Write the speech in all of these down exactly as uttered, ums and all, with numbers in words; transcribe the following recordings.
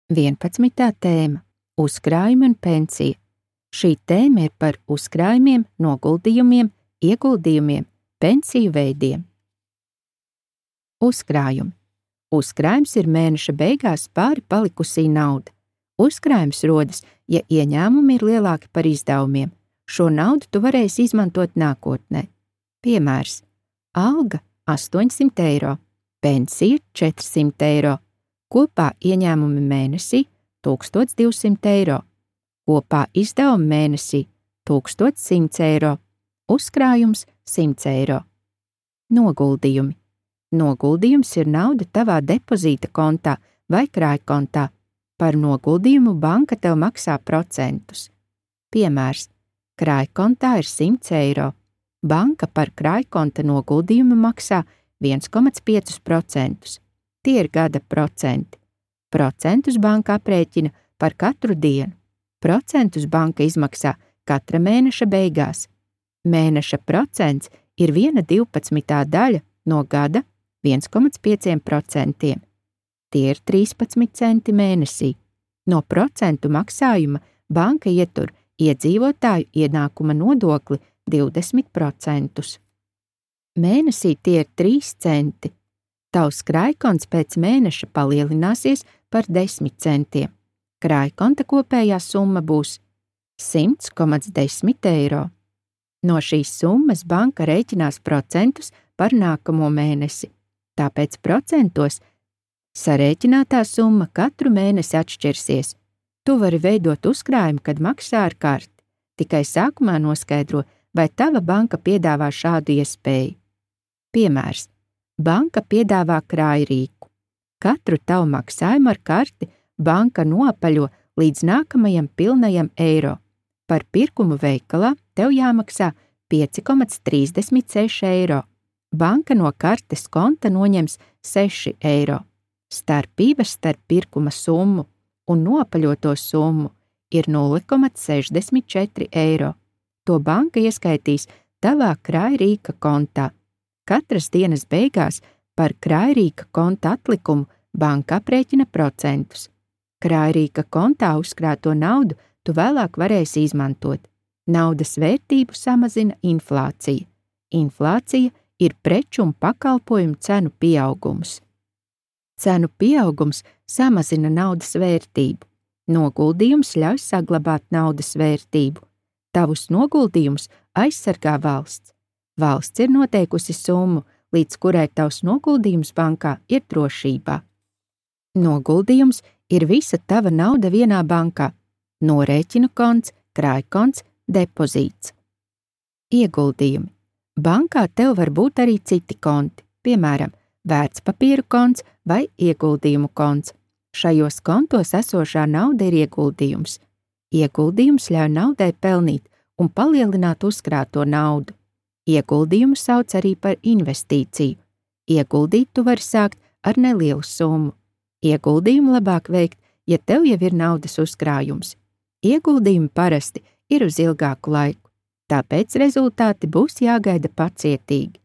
vienpadsmitā tēma – uzkrājumi un pensija. Šī tēma ir par uzkrājumiem, noguldījumiem, ieguldījumiem, pensiju veidiem. Uzkrājumi. Uzkrājums ir mēneša beigās pāri palikusī nauda. Uzkrājums rodas, ja ieņēmumi ir lielāki par izdevumiem. Šo naudu tu varēsi izmantot nākotnē. Piemērs: alga astoņsimt eiro, pensija četrsimt eiro, kopā ieņēmumi mēnesī tūkstoš divsimt eiro, kopā izdevumi mēnesī tūkstoš simts eiro, uzkrājums simts eiro. Noguldījumi. Noguldījums ir nauda tavā depozīta kontā vai krājkontā. Par noguldījumu banka tev maksā procentus. Piemērs: krājkontā ir simts eiro. Banka par krājkonta noguldījumu maksā viens komats pieci procenti. Tie ir gada procenti. Procentus banka aprēķina par katru dienu. Procentus banka izmaksā katra mēneša beigās. Mēneša procents ir viena divpadsmitā daļa no gada viens komats pieci procenti. Tie ir trīspadsmit centi mēnesī. No procentu maksājuma banka ietur iedzīvotāju ienākuma nodokli divdesmit procentus. Mēnesī tie ir trīs centi. Tavs krājkonts pēc mēneša palielināsies par desmit centiem. Krājkonta kopējā summa būs simts komats desmit eiro. No šīs summas banka rēķinās procentus par nākamo mēnesi. Tāpēc procentos sarēķinātā summa katru mēnesi atšķirsies. Tu vari veidot uzkrājumu, kad maksā ar karti. Tikai sākumā noskaidro, vai tava banka piedāvā šādu iespēju. Piemērs: banka piedāvā krājrīku. Katru tavu maksājumu ar karti banka noapaļo līdz nākamajam pilnajam eiro. Par pirkumu veikalā tev jāmaksā pieci komats trīsdesmit seši eiro. Banka no kartes konta noņems seši eiro. Starpības starp pirkuma summu un noapaļoto summu ir nulle komats sešdesmit četri eiro. To banka ieskaitīs tavā krājrīka kontā. Katras dienas beigās par krājrīka konta atlikumu banka aprēķina procentus. Krājrīka kontā uzkrāto naudu tu vēlāk varēsi izmantot. Naudas vērtību samazina inflācija. Inflācija ir preču un pakalpojumu cenu pieaugums. Cenu pieaugums samazina naudas vērtību. Noguldījums ļauj saglabāt naudas vērtību. Tavus noguldījumus aizsargā valsts. Valsts ir noteikusi summu, līdz kurai tavs noguldījums bankā ir drošībā. Noguldījums ir visa tava nauda vienā bankā. Norēķinu konts, krājkonts, depozīts. Ieguldījumi. Bankā tev var būt arī citi konti, piemēram, vērtspapīru konts vai ieguldījumu konts. Šajos kontos esošā nauda ir ieguldījums. Ieguldījums ļauj naudai pelnīt un palielināt uzkrāto naudu. Ieguldījumu sauc arī par investīciju. Ieguldīt tu vari sākt ar nelielu summu. Ieguldījumu labāk veikt, ja tev jau ir naudas uzkrājums. Ieguldījumi parasti ir uz ilgāku laiku, tāpēc rezultāti būs jāgaida pacietīgi.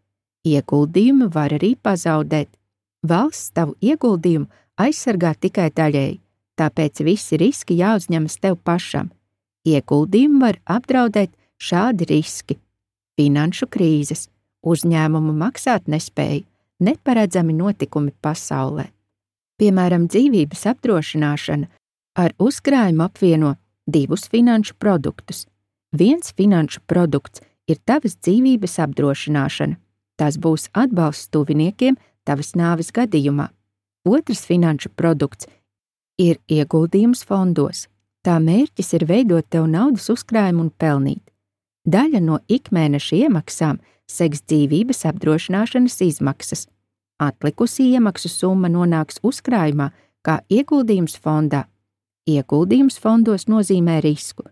Ieguldījumu var arī pazaudēt. Valsts tavu ieguldījumu aizsargā tikai daļēji, tāpēc visi riski jāuzņemas tev pašam. Ieguldījumu var apdraudēt šādi riski: finanšu krīzes, uzņēmumu maksāt nespēju, neparedzami notikumi pasaulē. Piemēram, dzīvības apdrošināšana ar uzkrājumu apvieno divus finanšu produktus. Viens finanšu produkts ir tavas dzīvības apdrošināšana. Tas būs atbalsts tuviniekiem tavas nāves gadījumā. Otrs finanšu produkts ir ieguldījums fondos. Tā mērķis ir veidot tev naudas uzkrājumu un pelnīt. Daļa no ikmēneša iemaksām seks dzīvības apdrošināšanas izmaksas. Atlikusī iemaksu summa nonāks uzkrājumā kā ieguldījums fondā. Ieguldījums fondos nozīmē risku.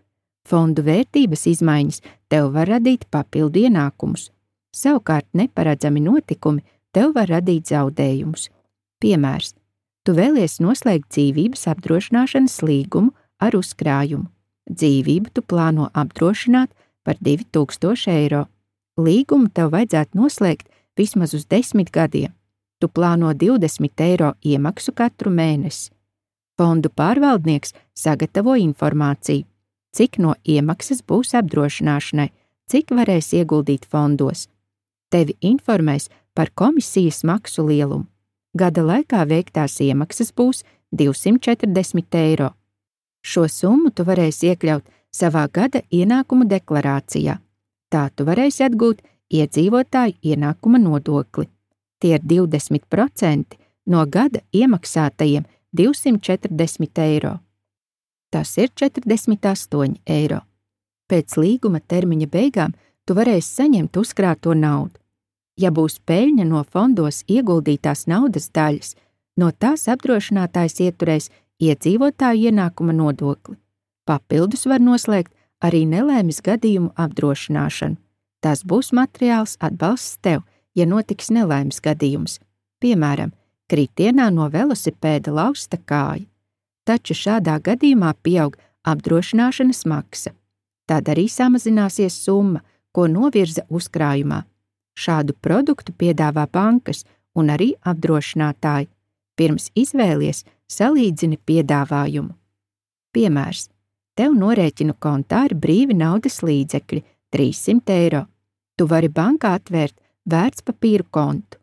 Fondu vērtības izmaiņas tev var radīt papildu ienākumus. Savukārt neparedzami notikumi tev var radīt zaudējumus. Piemērs: tu vēlies noslēgt dzīvības apdrošināšanas līgumu ar uzkrājumu. Dzīvību tu plāno apdrošināt par divi tūkstoši eiro. Līgumu tev vajadzētu noslēgt vismaz uz desmit gadiem. Tu plāno divdesmit eiro iemaksu katru mēnesi. Fondu pārvaldnieks sagatavo informāciju, cik no iemaksas būs apdrošināšanai, cik varēs ieguldīt fondos. Tevi informēs par komisijas maksu lielumu. Gada laikā veiktās iemaksas būs divsimt četrdesmit eiro. Šo summu tu varēsi iekļaut savā gada ienākumu deklarācijā. Tā tu varēsi atgūt iedzīvotāju ienākuma nodokli. Tie ir divdesmit procenti no gada iemaksātajiem divsimt četrdesmit eiro. Tas ir četrdesmit astoņi eiro. Pēc līguma termiņa beigām tu varēsi saņemt uzkrāto naudu. Ja būs peļņa no fondos ieguldītās naudas daļas, no tās apdrošinātājs ieturēs iedzīvotāju ienākuma nodokli. Papildus var noslēgt arī nelaimes gadījumu apdrošināšanu. Tas būs materiāls atbalsts tev, ja notiks nelaimes gadījums. Piemēram, kritienā no velosipēda lausta kāja. Taču šādā gadījumā pieaug apdrošināšanas maksa. Tad arī samazināsies summa, ko novirza uzkrājumā. Šādu produktu piedāvā bankas un arī apdrošinātāji. Pirms izvēlies, salīdzini piedāvājumu. Piemērs. Tev norēķinu kontā ir brīvi naudas līdzekļi – trīssimt eiro. Tu vari bankā atvērt vērtspapīru kontu.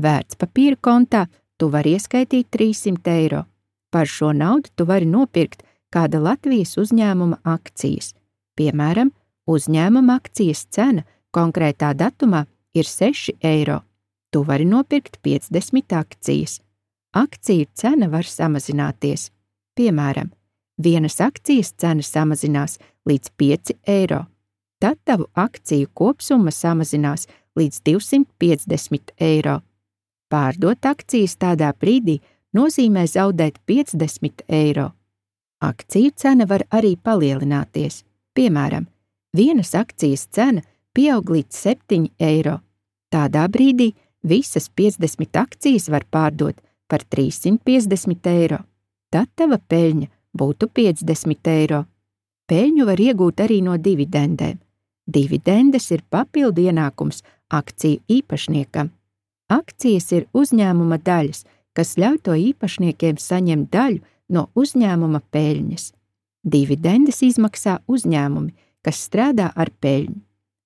Vērtspapīru kontā tu vari ieskaitīt trīssimt eiro. Par šo naudu tu vari nopirkt kāda Latvijas uzņēmuma akcijas. Piemēram, uzņēmuma akcijas cena konkrētā datumā ir seši eiro. Tu vari nopirkt piecdesmit akcijas. Akciju cena var samazināties. Piemēram, vienas akcijas cena samazinās līdz pieci eiro. Tad tavu akciju kopsumma samazinās līdz divsimt piecdesmit eiro. Pārdot akcijas tādā brīdī nozīmē zaudēt piecdesmit eiro. Akciju cena var arī palielināties. Piemēram, vienas akcijas cena pieaug līdz septiņi eiro. Tādā brīdī visas piecdesmit akcijas var pārdot par trīssimt piecdesmit eiro. Tad tava peļņa būtu piecdesmit eiro. Peļņu var iegūt arī no dividendēm. Dividendes ir papildu ienākums akciju īpašniekam. Akcijas ir uzņēmuma daļas, kas ļauj to īpašniekiem saņemt daļu no uzņēmuma peļņas. Dividendes izmaksā uzņēmumi, kas strādā ar peļņu.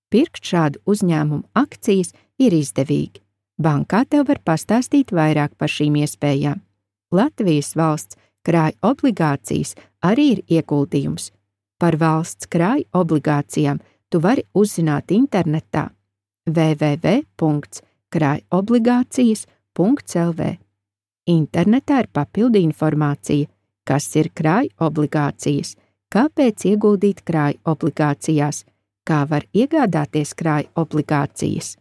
Pirkt šādu uzņēmumu akcijas ir izdevīgi. Bankā tev var pastāstīt vairāk par šīm iespējām. Latvijas valsts krāja obligācijas arī ir ieguldījums. Par valsts krāja obligācijām tu vari uzzināt internetā w w w punkts krājobligācijas punkts l v. Internetā ir papildu informācija, kas ir krāja obligācijas, kāpēc ieguldīt krāja obligācijās, kā var iegādāties krāja obligācijas.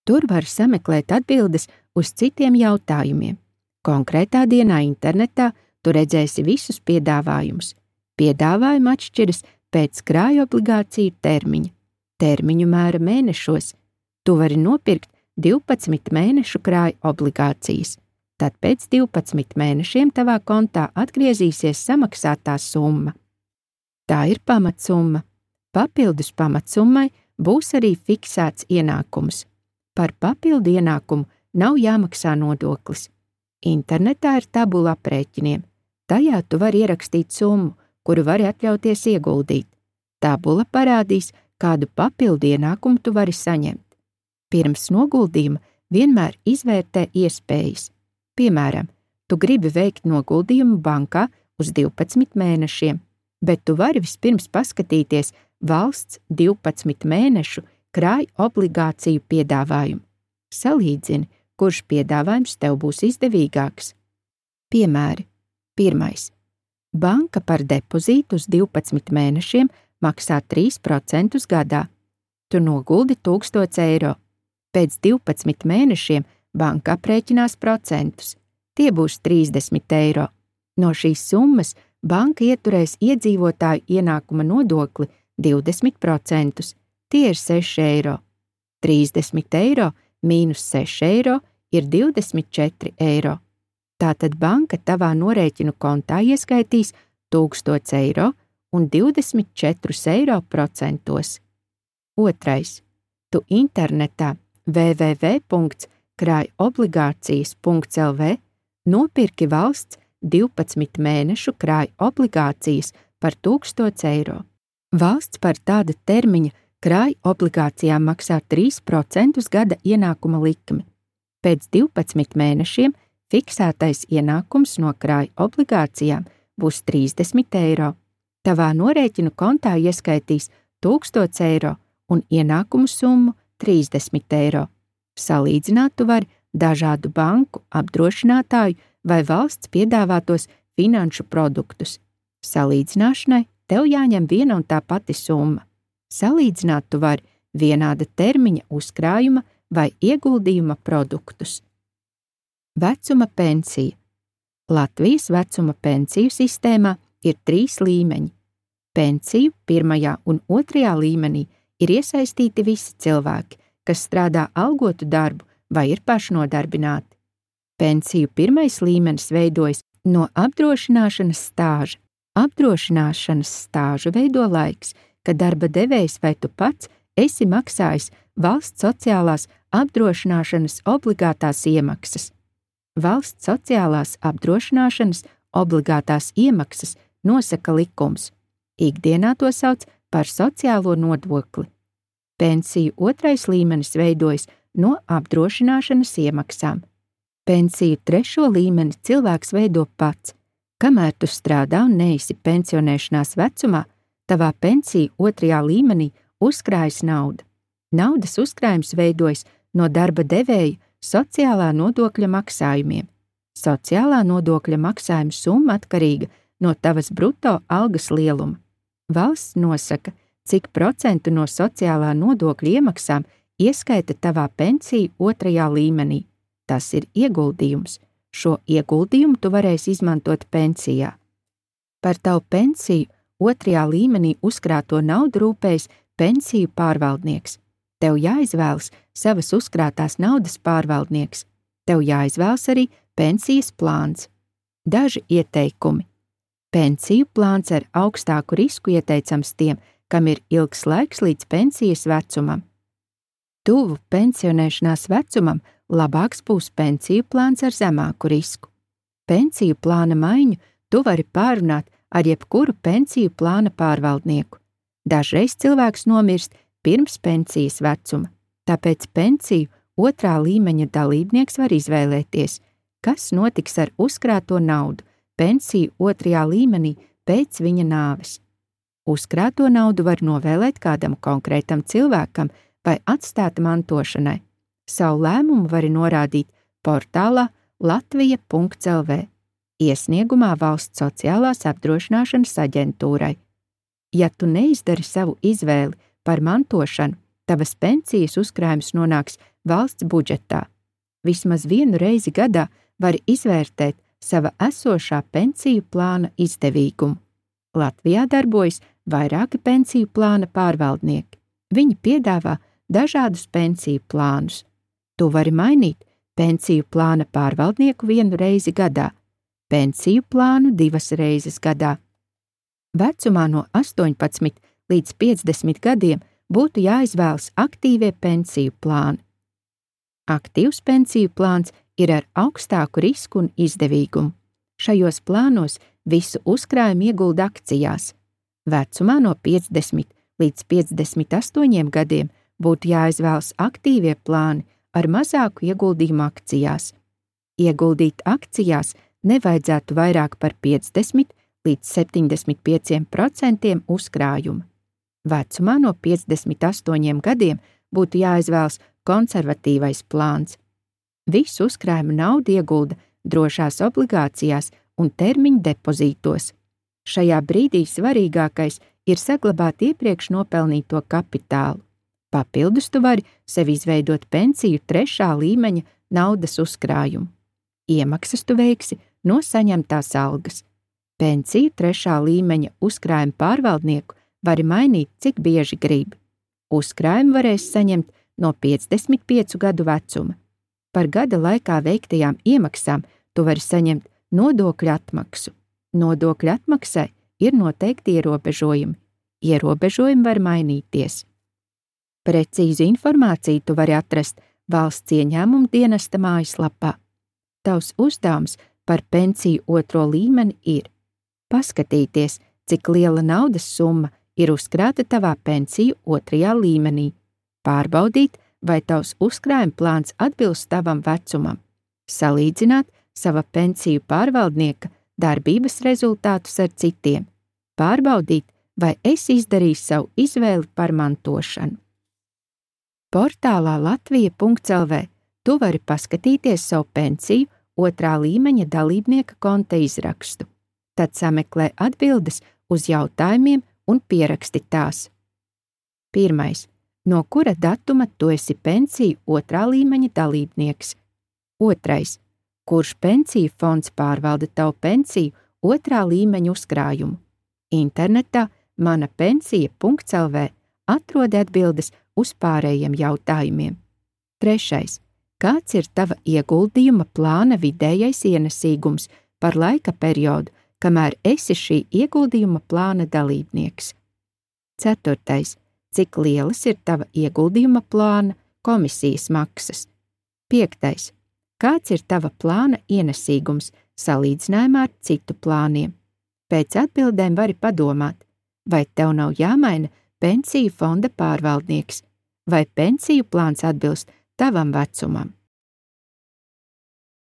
Tur var sameklēt atbildes uz citiem jautājumiem. Konkrētā dienā internetā tu redzēsi visus piedāvājumus. Piedāvājumi atšķiras pēc krāja obligāciju termiņa. Termiņu mēra mēnešos. Tu vari nopirkt divpadsmit mēnešu krāja obligācijas. Tad pēc divpadsmit mēnešiem tavā kontā atgriezīsies samaksātā summa. Tā ir pamatsumma. Papildus pamatsummai būs arī fiksēts ienākums. Par papildu ienākumu nav jāmaksā nodoklis. Internetā ir tabula aprēķiniem. Tajā tu vari ierakstīt summu, kuru vari atļauties ieguldīt. Tabula parādīs, kādu papildu ienākumu tu vari saņemt. Pirms noguldījuma vienmēr izvērtē iespējas. Piemēram, tu gribi veikt noguldījumu bankā uz divpadsmit mēnešiem, bet tu vari vispirms paskatīties valsts divpadsmit mēnešu krāja obligāciju piedāvājumu. Salīdzini, kurš piedāvājums tev būs izdevīgāks. Piemēri. Pirmais. Banka par depozītu uz divpadsmit mēnešiem maksā trīs procentus gadā. Tu noguldi tūkstots eiro. Pēc divpadsmit mēnešiem banka aprēķinās procentus. Tie būs trīsdesmit eiro. No šīs summas banka ieturēs iedzīvotāju ienākuma nodokli divdesmit procentus. Tie ir seši eiro. trīsdesmit eiro mīnus seši eiro ir divdesmit četri eiro. Tātad banka tavā norēķinu kontā ieskaitīs tūkstots eiro un divdesmit četrus eiro procentos. Otrais. Tu internetā w w w punkts krājobligācijas punkts l v nopirki valsts divpadsmit mēnešu krāja obligācijas par tūkstots eiro. Valsts par tāda termiņa krāja obligācijām maksā trīs procentus gada ienākuma likmi. Pēc divpadsmit mēnešiem fiksētais ienākums no krāja obligācijām būs trīsdesmit eiro. Tavā norēķinu kontā ieskaitīs tūkstots eiro un ienākumu summu trīsdesmit eiro. Salīdzināt tu vari dažādu banku, apdrošinātāju vai valsts piedāvātos finanšu produktus. Salīdzināšanai tev jāņem viena un tā pati summa. Salīdzināt tu vari vienāda termiņa uzkrājuma vai ieguldījuma produktus. Vecuma pensija. Latvijas vecuma pensiju sistēmā ir trīs līmeņi. Pensiju pirmajā un otrajā līmenī ir iesaistīti visi cilvēki, kas strādā algotu darbu vai ir pašnodarbināti. Pensiju pirmais līmenis veidojas no apdrošināšanas stāža. Apdrošināšanas stāžu veido laiks, kad darba devējs vai tu pats esi maksājis valsts sociālās apdrošināšanas obligātās iemaksas. Valsts sociālās apdrošināšanas obligātās iemaksas nosaka likums. Ikdienā to sauc par sociālo nodokli. Pensiju otrais līmenis veidojas no apdrošināšanas iemaksām. Pensiju trešo līmeni cilvēks veido pats. Kamēr tu strādā un neesi pensionēšanās vecumā, tavā pensiju otrajā līmenī uzkrājas nauda. Naudas uzkrājums veidojas no darba devēja sociālā nodokļa maksājumiem. Sociālā nodokļa maksājuma summa atkarīga no tavas bruto algas lieluma. Valsts nosaka, cik procentu no sociālā nodokļa iemaksām ieskaita tavā pensiju otrajā līmenī. Tas ir ieguldījums. Šo ieguldījumu tu varēsi izmantot pensijā. Par tavu pensiju otrajā līmenī uzkrāto naudu rūpējas pensiju pārvaldnieks. Tev jāizvēlas savas uzkrātās naudas pārvaldnieks. Tev jāizvēlas arī pensijas plāns. Daži ieteikumi. Pensiju plāns ar augstāku risku ieteicams tiem, kam ir ilgs laiks līdz pensijas vecumam. Tuvu pensionēšanās vecumam labāks būs pensiju plāns ar zemāku risku. Pensiju plāna maiņu tu vari pārunāt ar jebkuru pensiju plāna pārvaldnieku. Dažreiz cilvēks nomirst pirms pensijas vecuma, tāpēc pensiju otrā līmeņa dalībnieks var izvēlēties, kas notiks ar uzkrāto naudu pensiju otrajā līmenī pēc viņa nāves. Uzkrāto naudu var novēlēt kādam konkrētam cilvēkam vai atstāt mantošanai. Savu lēmumu vari norādīt portālā latvija punkts el vē, iesniegumā Valsts sociālās apdrošināšanas aģentūrai. Ja tu neizdari savu izvēli par mantošanu, tavas pensijas uzkrājums nonāks valsts budžetā. Vismaz vienu reizi gadā vari izvērtēt sava esošā pensiju plāna izdevīgumu. Latvijā darbojas vairāki pensiju plāna pārvaldnieki. Viņi piedāvā dažādus pensiju plānus. Tu vari mainīt pensiju plāna pārvaldnieku vienu reizi gadā, pensiju plānu divas reizes gadā. Vecumā no astoņpadsmit līdz piecdesmit gadiem būtu jāizvēlas aktīvie pensiju plāni. Aktīvs pensiju plāns ir ar augstāku risku un izdevīgumu. Šajos plānos visu uzkrājumu iegulda akcijās. Vecumā no piecdesmit līdz piecdesmit astoņiem gadiem būtu jāizvēlas aktīvie plāni ar mazāku ieguldījumu akcijās. Ieguldīt akcijās nevajadzētu vairāk par piecdesmit līdz septiņdesmit pieciem procentiem uzkrājuma. Vecumā no piecdesmit astoņiem gadiem būtu jāizvēlas konservatīvais plāns. Visu uzkrājumu naudu iegulda drošās obligācijās un termiņu depozītos. Šajā brīdī svarīgākais ir saglabāt iepriekš nopelnīto kapitālu. Papildus tu vari sev izveidot pensiju trešā līmeņa naudas uzkrājumu. Iemaksas tu veiksi no saņemtās algas. Pensiju trešā līmeņa uzkrājumu pārvaldnieku vari mainīt, cik bieži grib. Uzkrājumu varēs saņemt no piecdesmit piecu gadu vecuma. Par gada laikā veiktajām iemaksām tu vari saņemt nodokļu atmaksu. Nodokļu atmaksai ir noteikti ierobežojumi. Ierobežojumi var mainīties. Precīzu informāciju tu vari atrast Valsts ieņēmuma dienesta mājaslapā. Tavs uzdevums par pensiju otro līmeni ir paskatīties, cik liela naudas summa ir uzkrāta tavā pensiju otrajā līmenī, pārbaudīt, vai tavs uzkrājuma plāns atbilst tavam vecumam, salīdzināt sava pensiju pārvaldnieka darbības rezultātus ar citiem, pārbaudīt, vai esi izdarījis savu izvēli par mantošanu. Portālā latvija punkts el vē tu vari paskatīties savu pensiju otrā līmeņa dalībnieka konta izrakstu. Tad sameklē atbildes uz jautājumiem un pieraksti tās. Pirmais. No kura datuma tu esi pensiju otrā līmeņa dalībnieks? Otrais. Kurš pensiju fonds pārvalda tavu pensiju otrā līmeņa uzkrājumu? Internetā mana pensija punkts el vē atrodi atbildes uz pārējiem jautājumiem. Trešais. Kāds ir tava ieguldījuma plāna vidējais ienesīgums par laika periodu, kamēr esi šī ieguldījuma plāna dalībnieks? Ceturtais. Cik lielas ir tava ieguldījuma plāna komisijas maksas? Piektais. Kāds ir tava plāna ienesīgums salīdzinājumā ar citu plāniem? Pēc atbildēm vari padomāt, vai tev nav jāmaina pensiju fonda pārvaldnieks, vai pensiju plāns atbilst tavam vecumam.